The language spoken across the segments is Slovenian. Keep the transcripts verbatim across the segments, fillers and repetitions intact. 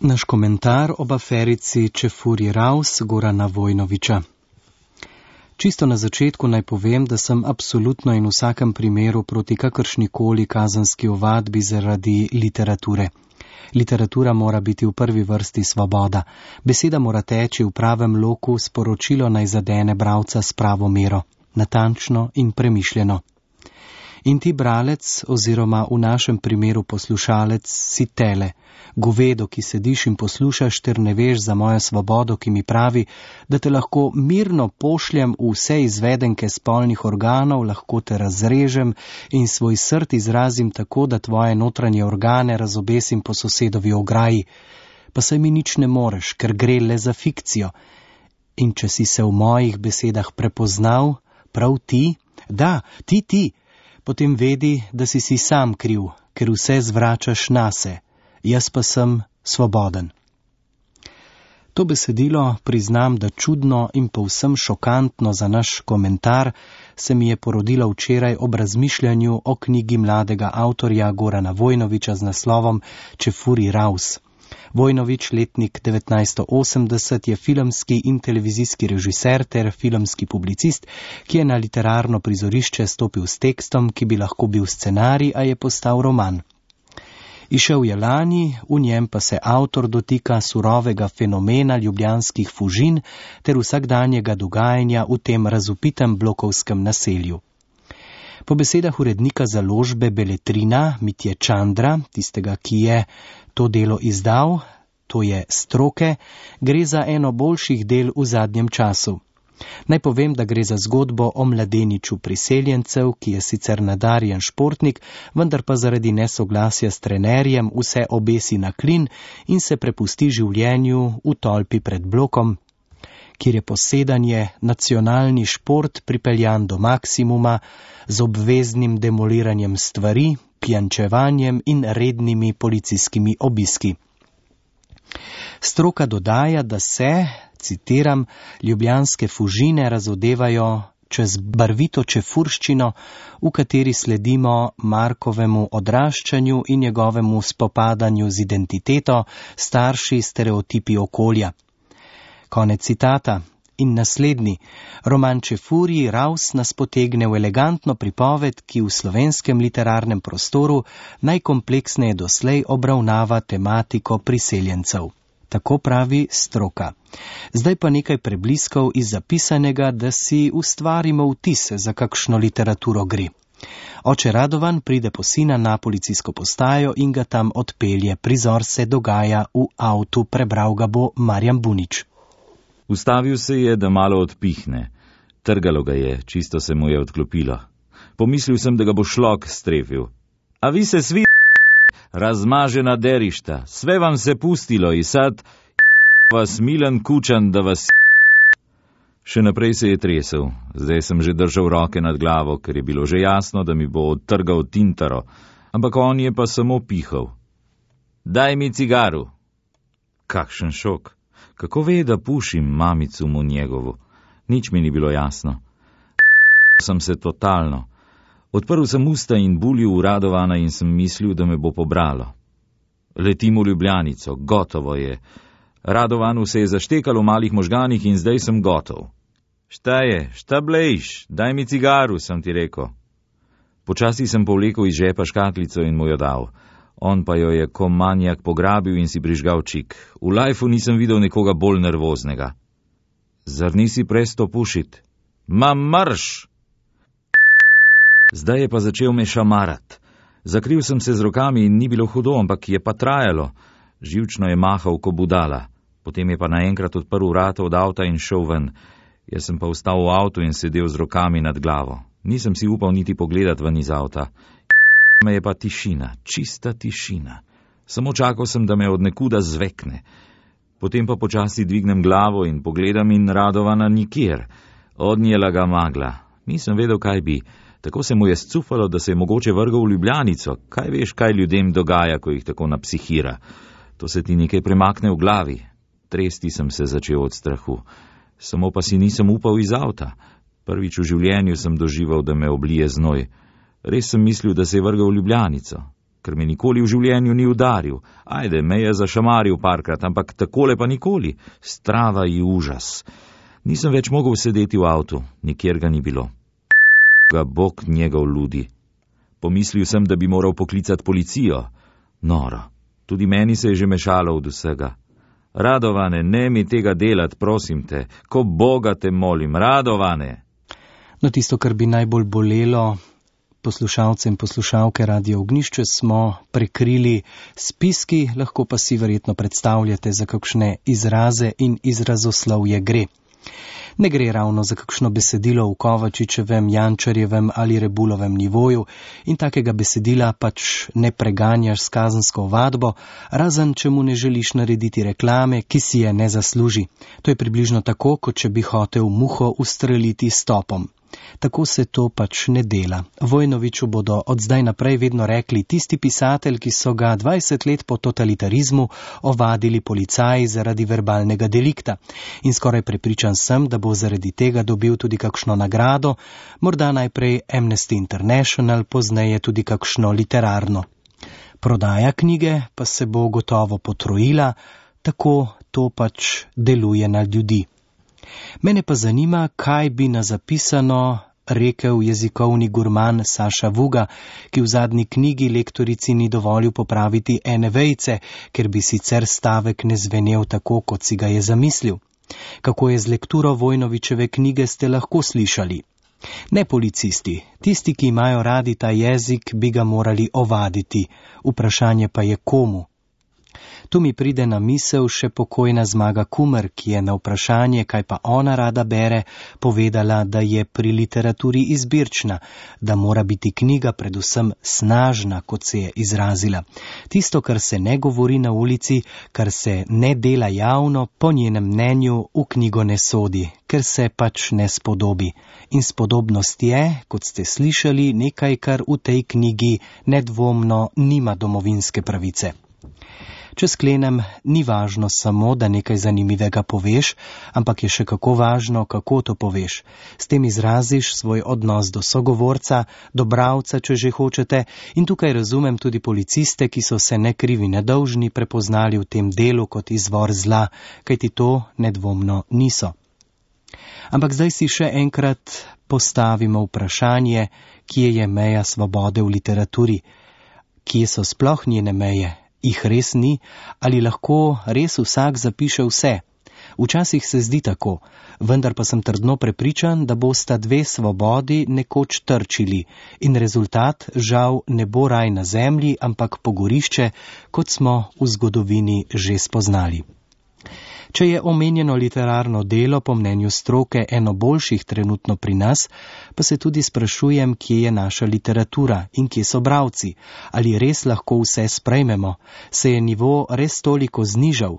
Naš komentar ob aferici Čefurji Raus Gorana Vojnovića. Čisto na začetku naj povem, da sem absolutno in v vsakem primeru proti kakršnikoli kazenski ovadbi zaradi literature. Literatura mora biti v prvi vrsti svoboda. Beseda mora teči v pravem loku, sporočilo naj zadene bralca s pravo mero, natančno in premišljeno. In ti bralec oziroma v našem primeru poslušalec si tele, govedo, ki sediš in poslušaš, ter ne veš za mojo svobodo, ki mi pravi, da te lahko mirno pošljem v vse izvedenke spolnih organov, lahko te razrežem in svoj srd izrazim tako, da tvoje notranje organe razobesim po sosedovi ograji. Pa saj mi nič ne moreš, ker gre le za fikcijo. In če si se v mojih besedah prepoznal, prav ti, da, ti, ti, potem vedi, da si si sam kriv, ker vse zvračaš nase. Jaz pa sem svoboden. To besedilo, priznam, da čudno in povsem šokantno za naš komentar, se mi je porodilo včeraj ob razmišljanju o knjigi mladega avtorja Gorana Vojnovića z naslovom Čefurji Raus. Vojnović, letnik devetnajststo osemdeset, je filmski in televizijski režiser ter filmski publicist, ki je na literarno prizorišče stopil s tekstom, ki bi lahko bil scenarij, a je postal roman. Išel je lani, v njem pa se avtor dotika surovega fenomena ljubljanskih fužin ter vsakdanjega dogajanja v tem razupitem blokovskem naselju. Po besedah urednika založbe Beletrina Mitje Čandra, tistega, ki je to delo izdal, to je Stroke, gre za eno boljših del v zadnjem času. Naj povem, da gre za zgodbo o mladeniču priseljencev, ki je sicer nadarjen športnik, vendar pa zaradi nesoglasja s trenerjem vse obesi na klin in se prepusti življenju v tolpi pred blokom, kjer je posedanje, nacionalni šport pripeljan do maksimuma z obveznim demoliranjem stvari, pijančevanjem in rednimi policijskimi obiski. Stroka dodaja, da se, citiram, ljubljanske fužine razodevajo čez barvito čefurščino, v kateri sledimo Markovemu odraščanju in njegovemu spopadanju z identiteto, starši, stereotipi okolja. Konec citata. In naslednji, roman Čefurji Raus nas potegne v elegantno pripoved, ki v slovenskem literarnem prostoru najkompleksneje doslej obravnava tematiko priseljencev. Tako pravi Stroka. Zdaj pa nekaj prebliskov iz zapisanega, da si ustvarimo vtis, za kakšno literaturo gre. Oče Radovan pride po sina na policijsko postajo in ga tam odpelje. Prizor se dogaja v avtu, prebral ga bo Marjan Bunič. Ustavil se je, da malo odpihne. Trgalo ga je, čisto se mu je odklopilo. Pomislil sem, da ga bo šlok strefil. A vi se svi razmažena derišta, sve vam se pustilo i sad vas milan kučan, da vas. Še naprej se je tresel. Zdaj sem že držal roke nad glavo, ker je bilo že jasno, da mi bo odtrgal tintaro, ampak on je pa samo pihal. Daj mi cigaru. Kakšen šok. Kako ve, da pušim mamicu mu njegovu? Nič mi ni bilo jasno. Sem se totalno. Odprl sem usta in bulil v Radovana in sem mislil, da me bo pobralo. Letim v Ljubljanico, gotovo je. Radovanu se je zaštekalo v malih možganih in zdaj sem gotov. Šta je, šta blejš, daj mi cigaru, sem ti rekel. Počasi sem povlekel iz žepa škatlico in mu jo dal. On pa jo je ko manjak pograbil in si prižgal čik. V lajfu nisem videl nekoga bolj nervoznega. Zar nisi presto pušit? Ma marš! Zdaj je pa začel me šamarat. Zakril sem se z rokami in ni bilo hudo, ampak je pa trajalo. Živčno je mahal ko budala. Potem je pa naenkrat odprl vrata od avta in šel ven. Jaz sem pa vstal v avtu in sedel z rokami nad glavo. Nisem si upal niti pogledat ven iz avta. Me je pa tišina, čista tišina. Samo čakal sem, da me od nekuda zvekne. Potem pa počasi dvignem glavo in pogledam in Radovana nikjer. Odnjela ga magla. Nisem vedel, kaj bi. Tako se mu je scufalo, da se je mogoče vrgal v Ljubljanico. Kaj veš, kaj ljudem dogaja, ko jih tako napsihira? To se ti nekaj premakne v glavi. Tresti sem se začel od strahu. Samo pa si nisem upal iz avta. Prvič v življenju sem doživel, da me oblije znoj. Res sem mislil, da se je vrgal v Ljubljanico. ker me nikoli v življenju ni udaril. Ajde, me je zašamaril parkrat, ampak takole pa nikoli. Strava in užas. Nisem več mogel sedeti v avtu, nikjer ga ni bilo. Ga Bog njegov ludi. Pomislil sem, da bi moral poklicati policijo. Noro, tudi meni se je že mešalo od vsega. Radovane, ne mi tega delat, prosim te, ko Boga te molim, Radovane. No, tisto, kar bi najbolj bolelo poslušalce in poslušalke Radio Ognjišče, smo prekrili spiski, lahko pa si verjetno predstavljate, za kakšne izraze in izrazoslovje gre. Ne gre ravno za kakšno besedilo v Kovačičevem, Jančarjevem ali Rebulovem nivoju in takega besedila pač ne preganjaš s kazensko ovadbo, razen če mu ne želiš narediti reklame, ki si je ne zasluži. To je približno tako, kot če bi hotel muho ustreliti s topom. Tako se to pač ne dela. Vojnoviću bodo od zdaj naprej vedno rekli tisti pisatelj, ki so ga dvajset let po totalitarizmu ovadili policaji zaradi verbalnega delikta. In skoraj prepričan sem, da bo zaradi tega dobil tudi kakšno nagrado, morda najprej Amnesty International, pozneje tudi kakšno literarno. Prodaja knjige pa se bo gotovo potrojila, tako to pač deluje na ljudi. Mene pa zanima, kaj bi na zapisano rekel jezikovni gurman Saša Vuga, ki v zadnji knjigi lektorici ni dovolil popraviti ene vejice, ker bi sicer stavek ne zvenel tako, kot si ga je zamislil. Kako je z lekturo Vojnovićeve knjige, ste lahko slišali. Ne policisti, tisti, ki imajo radi ta jezik, bi ga morali ovaditi. Vprašanje pa je komu. Tu mi pride na misel še pokojna Zmaga Kumer, ki je na vprašanje, kaj pa ona rada bere, povedala, da je pri literaturi izbirčna, da mora biti knjiga predvsem snažna, kot se je izrazila. Tisto, kar se ne govori na ulici, kar se ne dela javno, po njenem mnenju v knjigo ne sodi, ker se pač ne spodobi. In spodobnost je, kot ste slišali, nekaj, kar v tej knjigi nedvomno nima domovinske pravice. Če sklenem, ni važno samo, da nekaj zanimivega poveš, ampak je še kako važno, kako to poveš. S tem izraziš svoj odnos do sogovorca, do bralca, če že hočete, in tukaj razumem tudi policiste, ki so se ne krivi ne dolžni prepoznali v tem delu kot izvor zla, kajti to nedvomno niso. Ampak zdaj si še enkrat postavimo vprašanje, kje je meja svobode v literaturi, kje so sploh njene meje. Jih res ni, ali lahko res vsak zapiše vse. Včasih se zdi tako, vendar pa sem trdno prepričan, da bosta dve svobodi nekoč trčili in rezultat žal ne bo raj na zemlji, ampak pogorišče, kot smo v zgodovini že spoznali. Če je omenjeno literarno delo po mnenju stroke eno boljših trenutno pri nas, pa se tudi sprašujem, kje je naša literatura in kje so bralci. Ali res lahko vse sprejmemo? Se je nivo res toliko znižal?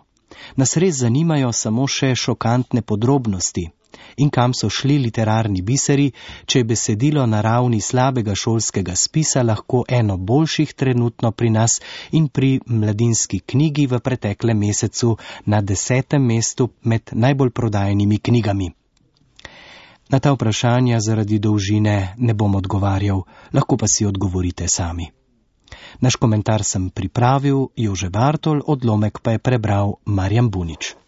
Nas res zanimajo samo še šokantne podrobnosti. In kam so šli literarni biseri, če je besedilo na ravni slabega šolskega spisa lahko eno boljših trenutno pri nas in pri Mladinski knjigi v preteklem mesecu na desetem mestu med najbolj prodajenimi knjigami. Na ta vprašanja zaradi dolžine ne bom odgovarjal, lahko pa si odgovorite sami. Naš komentar sem pripravil Jože Bartol, odlomek pa je prebral Marjan Bunič.